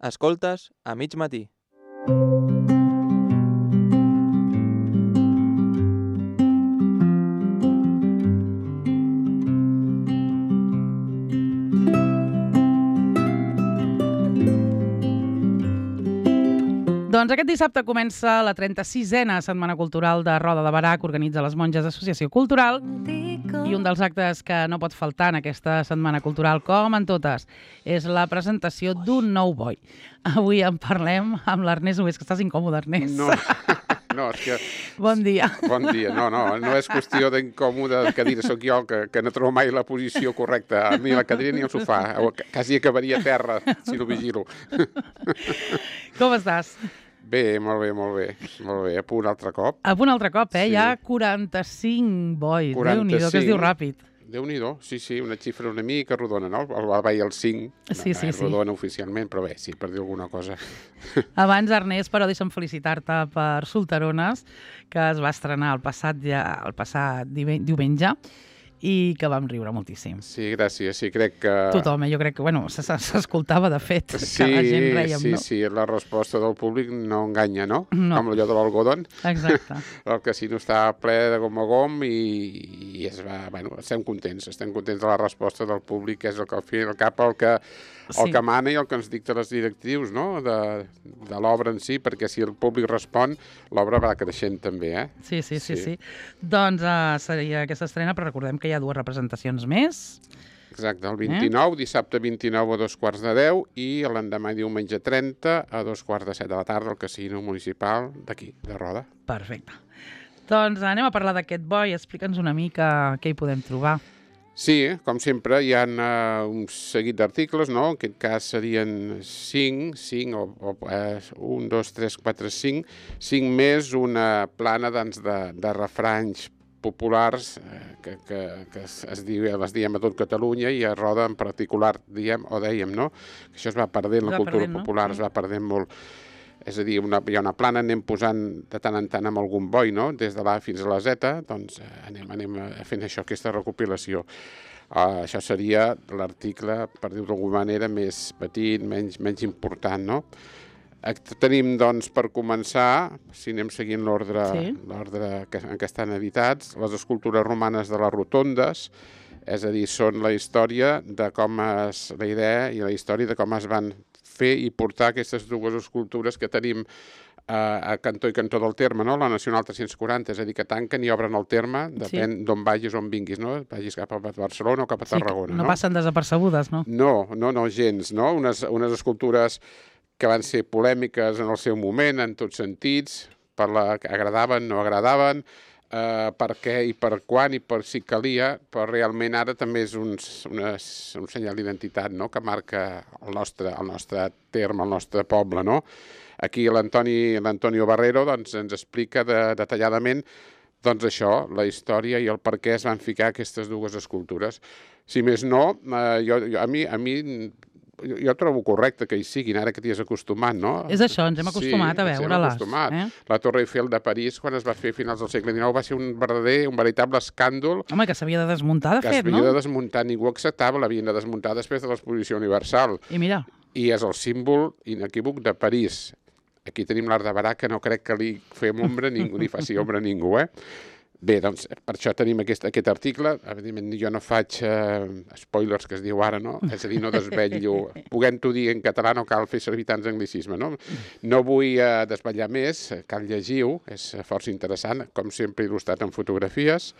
Escoltes a mig matí. Doncs aquest dissabte comença la 36a Setmana Cultural de Roda de Berà que organitza les Monges Associació Cultural i un dels actes que no pot faltar en aquesta Setmana Cultural, com en totes, és la presentació d'un nou boi. Avui en parlem amb l'Ernest Nogués, que estàs incòmode, Ernest. No, és que... Bon dia. Bon dia. No és qüestió d'incòmode de cadira. Soc jo que no trobo mai la posició correcta, ni la cadira ni el sofà. Quasi acabaria a terra, si no vigilo. Com estàs? Bé, molt bé. A punt altre cop. A punt altre cop, Sí. Hi ha 45 bois. 45. Déu-n'hi-do, que es diu ràpid. Déu-n'hi-do, sí, una xifra una mica rodona, no? El veia el 5, Sí. rodona oficialment, però bé, sí, per dir alguna cosa. Abans, Ernest, però deixa'm felicitar-te per Solterones, que es va estrenar el passat diumenge i que vam riure moltíssim. Sí, gràcies, sí, crec que... Tothom, jo crec que, s'escoltava de fet, que la gent rèiem, no? Sí, la resposta del públic no enganya, no? No. Com allò de l'algodon. Exacte. El casino està ple de gom a gom i estem contents de la resposta del públic, que és el que al fi i al cap el que mana i el que ens dicta les directrius, no? De l'obra en si, perquè si el públic respon, l'obra va creixent també, eh? Sí. Doncs seria aquesta estrena, però recordem que hi ha 2 representacions més. Exacte, el 29, dissabte 29 a 2:15 i l'endemà diumenge 30 a 2:15 de la tarda al casino municipal d'aquí, de Roda. Perfecte. Doncs anem a parlar d'aquest boi. Explica'ns una mica què hi podem trobar. Sí, com sempre, hi ha un seguit d'articles, no? En aquest cas serien 5, 1, 2, 3, 4, 5 més una plana de refranys populars que les diem a tot Catalunya i a Roda en particular dèiem, no? Que això es va perdent, la cultura popular es va perdent molt. És a dir, hi ha una plana, anem posant de tant en tant amb algun boi, no? Des de l'A fins a la Z, doncs anem fent això, aquesta recopilació. Això seria l'article, per dir-ho d'alguna manera, més petit, menys important, no? Tenim, doncs, per començar, si anem seguint l'ordre en què estan editats, les escultures romanes de les rotondes, és a dir, són la història de com la idea i la història de com es van fer i portar aquestes 2 escultures que tenim a cantó i cantó del terme, no? La Nacional 340, és a dir, que tanquen i obren el terme, depèn d'on vagis o on vinguis, no? Vagis cap a Barcelona o cap a Tarragona, no? No passen desapercebudes, no? No, gens, no? Unes escultures que van ser polèmiques en el seu moment, en tots sentits, que agradaven, no agradaven, per què i per quan i per si calia, però realment ara també és un senyal d'identitat, no? Que marca el nostre terme, el nostre poble, no? Aquí l'Antonio Barrero doncs, ens explica detalladament doncs això, la història i el per què es van ficar aquestes 2 escultures. Si més no, a mi jo trobo correcte que hi siguin, ara que t'hi has acostumat, no? És això, ens hem acostumat a veure-les. La Torre Eiffel de París, quan es va fer a finals del segle XIX, va ser un veritable escàndol. Home, que s'havia de desmuntar, de fet, no? Que s'havia de desmuntar, ningú acceptava, l'havien de desmuntar després de l'Exposició Universal. I mira. I és el símbol inequívoc de París. Aquí tenim l'Art de Berà, que no crec que li fem ombra ningú, ni faci ombra a ningú, eh? Bé, doncs, per això tenim aquest article. Evidentment, jo no faig spoilers, que es diu ara, no? És a dir, no desvetllo. Puguem-ho dir en català, no cal fer servir tants anglicismes, no? No vull desvetllar més, cal llegir-ho, és força interessant, com sempre il·lustrat en fotografies.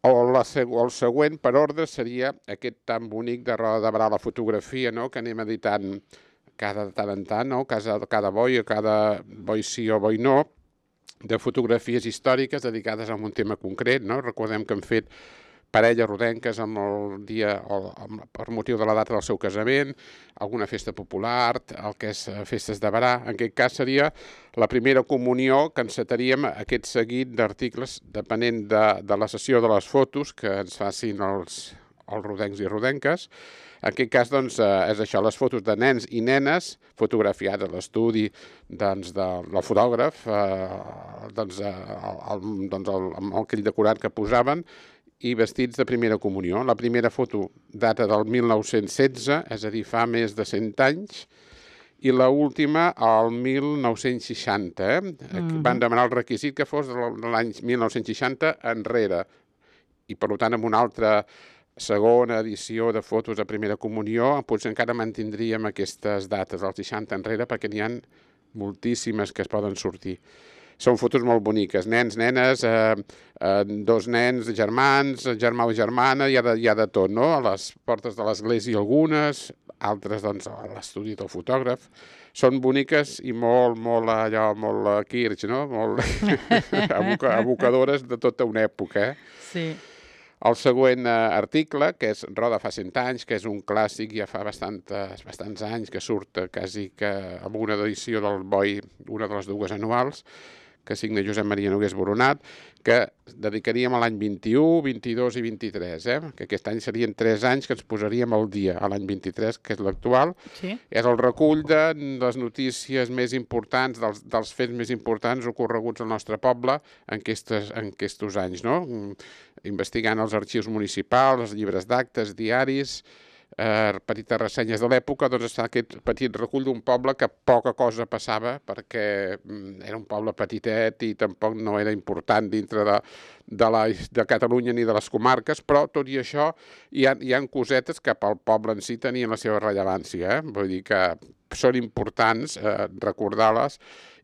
El següent, per ordre, seria aquest tan bonic de Roda de Berà, la fotografia, no?, que anem editant cada tant en tant, no?, cada boi, o cada boi sí o boi no, de fotografies històriques dedicades a un tema concret, no? Recordem que han fet parelles rodenques amb el dia, per motiu de la data del seu casament, alguna festa popular, el que és festes de Berà. En aquest cas seria la primera comunió que encetaríem aquest seguit d'articles depenent de la sessió de les fotos que ens facin els rodencs i rodenques. En aquest cas, doncs, és això, les fotos de nens i nenes fotografiats a l'estudi del fotògraf, amb el crit decorat que posaven, i vestits de primera comunió. La primera foto data del 1916, és a dir, fa més de 100 anys, i l'última al 1960. Van demanar el requisit que fos de l'any 1960 enrere. I, per tant, amb una altra segona edició de fotos de primera comunió, potser encara mantindríem aquestes dates, als 60 enrere, perquè n'hi ha moltíssimes que es poden sortir. Són fotos molt boniques, nens, nenes, dos nens, germans, germà o germana, hi ha de tot, no? A les portes de l'església algunes, altres doncs a l'estudi del fotògraf. Són boniques i molt Kirch, no? Molt abocadores de tota una època, Sí. El següent article, que és Roda fa 100 anys, que és un clàssic, ja fa bastants anys que surt quasi que amb una edició del BOI, una de les dues anuals, que signa Josep Maria Nogués Boronat, que dedicaríem a l'any 21, 22 i 23, que aquest any serien 3 anys que ens posaríem al dia, a l'any 23, que és l'actual. Sí. És el recull de les notícies més importants, dels fets més importants ocorreguts al nostre poble en aquests anys, no? Investigant els arxius municipals, els llibres d'actes, diaris, petites ressenyes de l'època, doncs està aquest petit recull d'un poble que poca cosa passava perquè era un poble petitet i tampoc no era important dintre de Catalunya ni de les comarques, però tot i això hi ha cosetes que pel poble en si tenien la seva rellevància, vull dir que són importants recordar-les,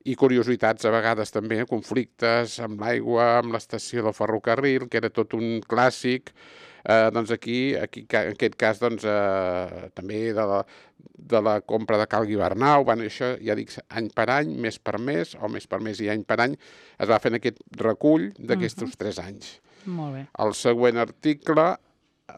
i curiositats a vegades també, conflictes amb l'aigua, amb l'estació del ferrocarril, que era tot un clàssic. Doncs aquí en aquest cas, doncs, també de la compra de Cal Guibernau, això ja dic any per any, mes per mes, o mes per mes i any per any, es va fent aquest recull d'aquests 3 anys. Molt bé. El següent article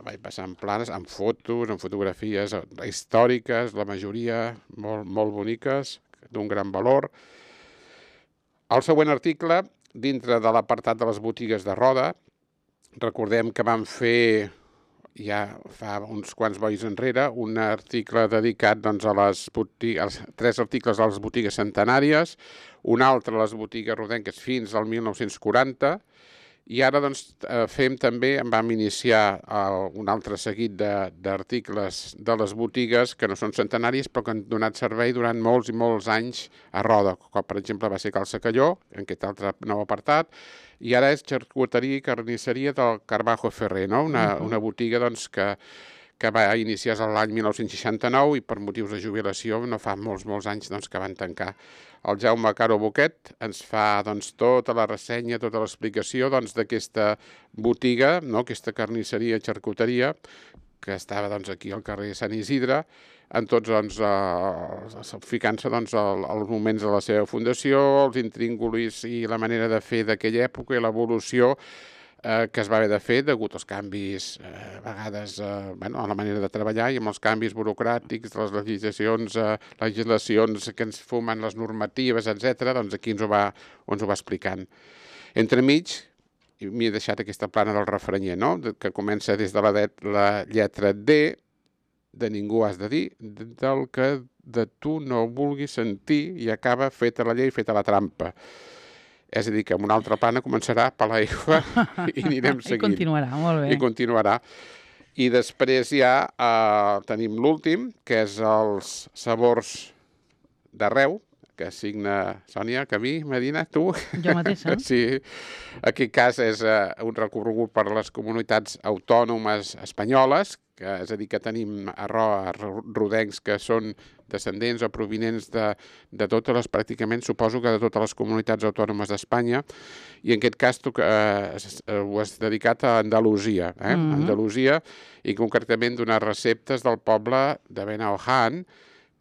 vaig passar en planes, amb fotos, amb fotografies històriques, la majoria molt boniques, d'un gran valor. El següent article, dintre de l'apartat de les botigues de Roda, recordem que vam fer, ja fa uns quants bois enrere, un article dedicat doncs, a les 3 articles a les botigues centenàries, un altre a les botigues rodenques fins al 1940, i ara doncs, vam iniciar un altre seguit d'articles de les botigues que no són centenàries però que han donat servei durant molts i molts anys a Roda, com per exemple va ser Cal Secalló, en aquest altre nou apartat, i ara és xarcuteria i carnisseria del Carbajo Ferrer, no? Una botiga doncs, que va iniciar l'any 1969 i per motius de jubilació no fa molts anys doncs, que van tancar. El Jaume Caro Boquet ens fa doncs, tota la ressenya, tota l'explicació doncs, d'aquesta botiga, no? Aquesta carnisseria i xarcuteria, que estava doncs, aquí al carrer Sant Isidre, en tots doncs, ficant-se doncs, als moments de la seva fundació, els intríngulis i la manera de fer d'aquella època i l'evolució que es va haver de fer degut als canvis, a vegades, a la manera de treballar i amb els canvis burocràtics, les legislacions que ens fumen, les normatives, etc. Doncs aquí ens ho va explicant. Entremig, m'hi he deixat aquesta plana del refrenyer, no? Que comença des de la lletra D, de ningú has de dir, del que de tu no vulguis sentir, i acaba feta la llei, feta la trampa. És a dir, que amb una altra plana començarà per l'aigua i anirem seguint. I continuarà, molt bé. I continuarà. I després ja tenim l'últim, que és els sabors d'arreu, que signa Sònia, Camí, Medina, tu? Jo mateixa. Sí. En aquest cas és un recorregut per les comunitats autònomes espanyoles, és a dir, que tenim rodencs que són descendents o provinents de totes les, pràcticament, suposo que de totes les comunitats autònomes d'Espanya, i en aquest cas ho has dedicat a Andalusia, Andalusia, i concretament donar receptes del poble de Benaoján,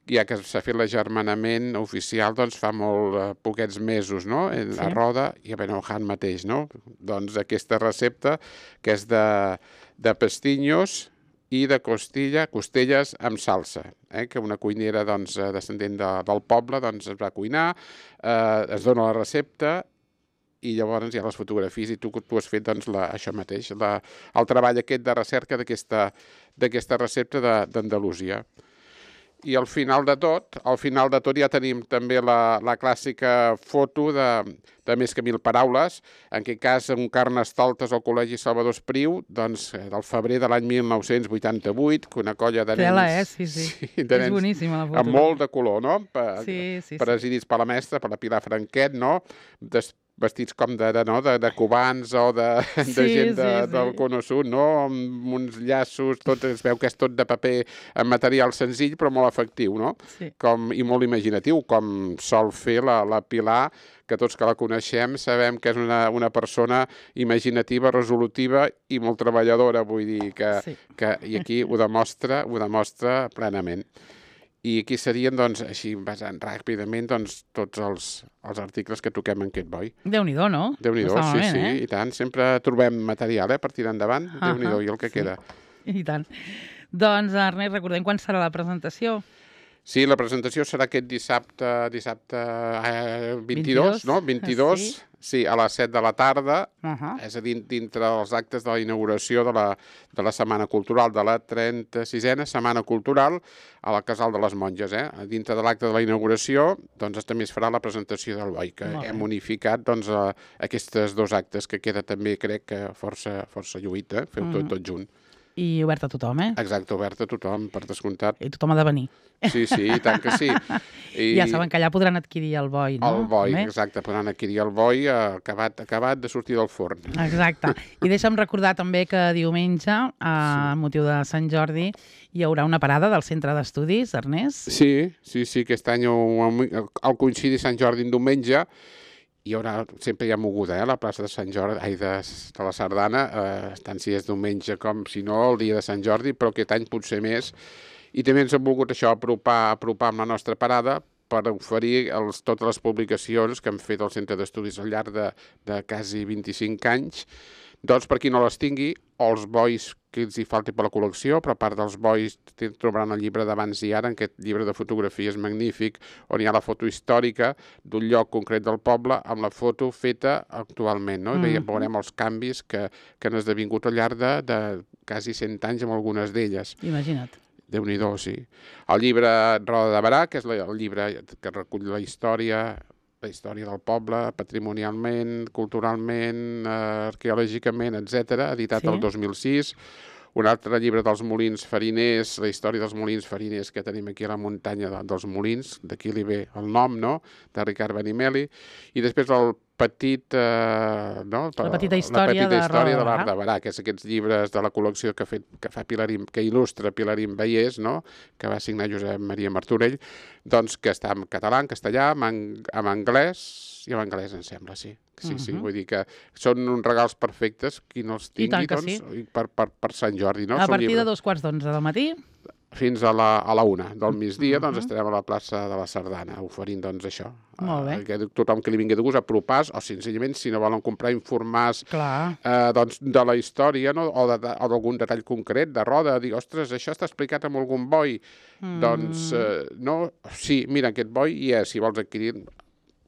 ja que s'ha fet l'agermanament oficial doncs, fa molt poquets mesos, no? A Roda i a Benaoján mateix, no? Doncs aquesta recepta, que és de pestinyos i de costelles amb salsa, que una cuinera doncs, descendent del poble doncs, es va cuinar, es dona la recepta i llavors hi ha les fotografies i tu has fet doncs, això mateix, el treball aquest de recerca d'aquesta recepta d'Andalusia. I al final de tot ja tenim també la clàssica foto de Més que 1000 paraules, en aquest cas un Carnestoltes al Col·legi Salvador Espriu, doncs del febrer de l'any 1988, que una colla de nens... Tela, sí. de És nens boníssima la foto. amb molt de color, no? Sí. Presidits per la mestra, per la Pilar Franquet, no? Vestits com de cubans o de gent del Cono Sud, no? Amb uns llaços, es veu que és tot de paper en material senzill, però molt efectiu, no? Sí. I molt imaginatiu, com sol fer la Pilar, que tots que la coneixem sabem que és una persona imaginativa, resolutiva i molt treballadora, vull dir i aquí ho demostra plenament. I aquí serien, doncs, així basant ràpidament, doncs, tots els articles que toquem en aquest boi. Déu-n'hi-do, no? Déu-n'hi-do, sí, i tant. Sempre trobem material per tirar endavant. Déu-n'hi-do, i el que queda. I tant. Doncs, Ernest, recordem quan serà la presentació. Sí, la presentació serà aquest dissabte 22, no? 22, sí, a les 7 de la tarda, és a dir, dintre dels actes de la inauguració de la Setmana Cultural, de la 36a Setmana Cultural a la Casal de les Monges. Dintre de l'acte de la inauguració, doncs també es farà la presentació del boi, que hem unificat aquests dos actes, que queda també, crec, que força lluït, feu tot junt. I obert a tothom, Exacte, obert a tothom, per descomptat. I tothom ha de venir. Sí, i tant que sí. Ja saben que allà podran adquirir el boi, no? El boi, exacte, podran adquirir el boi acabat de sortir del forn. Exacte. I deixa'm recordar també que diumenge, a motiu de Sant Jordi, hi haurà una parada del Centre d'Estudis, Ernest? Sí, aquest any al coincidir Sant Jordi en diumenge, sempre hi ha moguda, a la plaça de Sant Jordi, de la Sardana, tant si és diumenge com si no, el dia de Sant Jordi, però aquest any potser més. I també ens hem volgut apropar amb la nostra parada per oferir totes les publicacions que hem fet al Centre d'Estudis al llarg de quasi 25 anys, doncs per qui no les tingui, o els bois que els hi falti per la col·lecció, però a part dels bois trobaran el llibre d'abans i ara, en aquest llibre de fotografies magnífic, on hi ha la foto històrica d'un lloc concret del poble amb la foto feta actualment, no? I veurem els canvis que han esdevingut al llarg de quasi 100 anys amb algunes d'elles. Imagina't. Déu-n'hi-do, sí. El llibre Roda de Barà, que és el llibre que recull la història del poble, patrimonialment, culturalment, arqueològicament, etc., editat el 2006. Un altre llibre dels molins fariners, la història dels molins fariners que tenim aquí a la muntanya dels molins, d'aquí li ve el nom, no?, de Ricard Benimeli. I després la petita història de l'Art de Barà, que és aquests llibres de la col·lecció que fa que il·lustra Pilarín Vallès, no?, que va signar Josep Maria Martorell, doncs que està en català, en castellà, en anglès, i en anglès, em sembla, sí. Sí, vull dir que són uns regals perfectes, qui no els tingui, doncs, per Sant Jordi, no? A partir de 2:15 del matí? Fins a la 1 del migdia, doncs estarem a la plaça de la Sardana, oferint, doncs, això. Molt bé. Que tothom que li vingui de gust apropar-se, o senzillament, si no volen comprar, informar-se doncs, de la història, no?, o d'algun detall concret de Roda, dir, ostres, això està explicat amb algun boi. Doncs, no, sí, mira, aquest boi hi és, si vols adquirir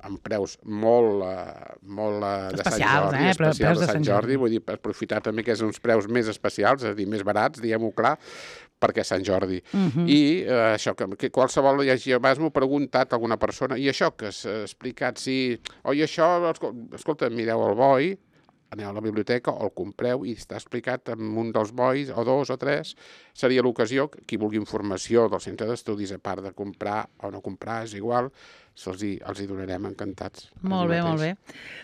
amb preus molt de Sant Jordi, especials de Sant Jordi, vull dir, per aprofitar també que és uns preus més especials, és a dir, més barats, diguem-ho clar, perquè és Sant Jordi. I això, que qualsevol, ja m'ho ha preguntat alguna persona, i això que s'ha explicat, sí, oi, això, escolta, mireu el boi, aneu a la biblioteca o el compreu i està explicat en un dels bois, o dos o tres, seria l'ocasió, qui vulgui informació del Centre d'Estudis, a part de comprar o no comprar, és igual, els hi donarem encantats. Molt bé, molt bé.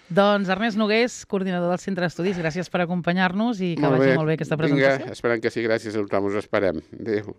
Doncs Ernest Nogués, coordinador del Centre d'Estudis, gràcies per acompanyar-nos i que vagi molt bé aquesta presentació. Vinga, esperem que sí, gràcies a tothom, us esperem. Adéu.